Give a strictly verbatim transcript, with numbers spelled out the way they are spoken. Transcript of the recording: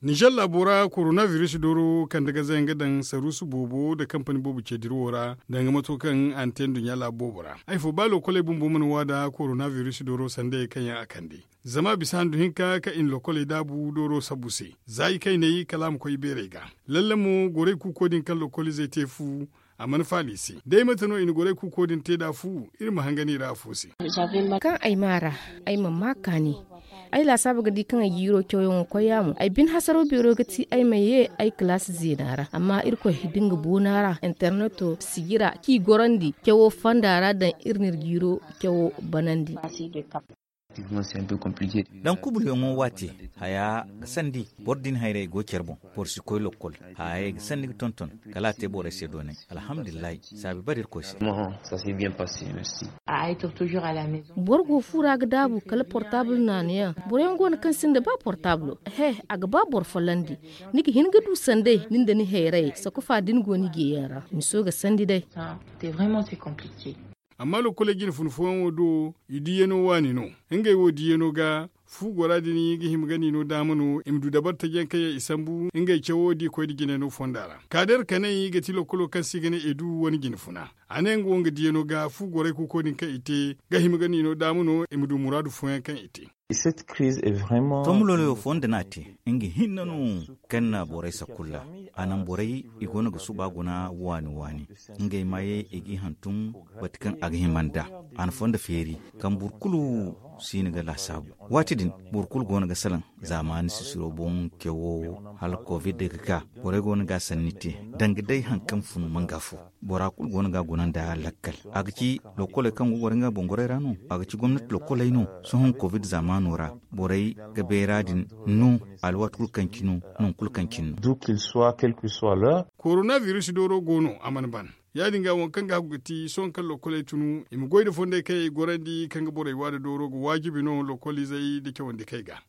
Ninzeer laabo ra korona biris dooro kande gazayaŋ ga daŋ saruusu boobo nda kampani boobo ce dirawo ra, danga mato kaŋ a na te nduɲɲa laabu boobo ra. Ay fo ba lokoley bumbo mana waa nda korona biris dooro sanday kaŋ yaŋ a kande. Zama a bisa handu hinka kaŋ i na lokoley daabu dooro sabu se, za i kayney kala a ma koy i beerey ga. Lalle mo gorey kuuko din kaŋ lokolizey te fu, a mana faala i se. Day mate no i na gorey kuuko din te nd'a fu? Iri ma hangan i ra afo se. Kaŋ ay maa ra, ay mana maa kaani. Ay laasaabu ga di kaŋ ay jiiro cawyaŋo koy yaamo, ay bine hasaro beero ga ti ay ma ye ay kalaasi zeena ra. Amma irkoy da nga boona ra, interneto sijira kaŋ i gorandi cawo fonda ra daŋ iri n'iri jiiro cawo banandi. Daŋ kubulyaŋo waate, haya ga sandi. Boro din hayrey go care boŋ, boro si koy lokkol. Hayey ga sandi ga tonton, kala a te borey se doonay. Alhamdulillahi, saabi bare irkoy se. Boro go fu ra ga daabu kala portaabul naanayaŋ. Boro yaŋ go no kaŋ sinda ba portaabulo. He, a ga ba boro follandi. Ni ga hin ga du sanday ni nda ni hayray sakufa da ni go ni jeeyaŋ ra, miso ga sandi day. Amma lokkoley jine fun fooyaŋo do, i diiyano waani no. Ngey wo diiyano ga, fu gora din ga hima ga niino daama no i ma du dabari taji yaŋ kaŋ yaŋ i sambu ngey cawo da i koy nda jinayno fonda ra. Kaader kanay ga ti lokkolo kaŋ se i ga ne edu wane jine funa. A ne nga wo nga diiyano ga fu gorey kuuko din kaŋ i te, ga hima ga niino daama no i ma du muraadu fooyaŋ kaŋ i te. Tomuloloyo fo nda no a te, nga hinne no kaŋ na borey sakulla. A naŋ borey i go no ga suba guna waani waani. Ngey maayey i g'i hantum bati kaŋ a ga hima nd'a. A na fondo feeri kaŋ boro kulu si hin ga laasaabu. Waati din, boro kulu go no ga salaŋ zaamaani sisiro boŋ cawo hala covid ga ka. Borey go no ga a sanni te, danga day hari kaŋ fun manga fo. Bora kulu go no ga a guna nda lakkal. A ga ci lokkoley kaŋ go goro nga boŋ gorey ra no? A ga ci gomnati lokkoley no? Sohõ covid zaamaano ra, borey ga bayra din no, alwaati kulu kaŋ cine no, nangu kulu kaŋ cine no. Korona biris dooro go no, a mana ban. Ya- din ga waŋ kaŋ ga hagu ga ti sohõ kaŋ lokkoley tunu i ma goy nda fondey kaŋ yaŋ i gorandi kaŋ ga borey waada dooro ga waajibi no lokkolizey nda cawandikey ga.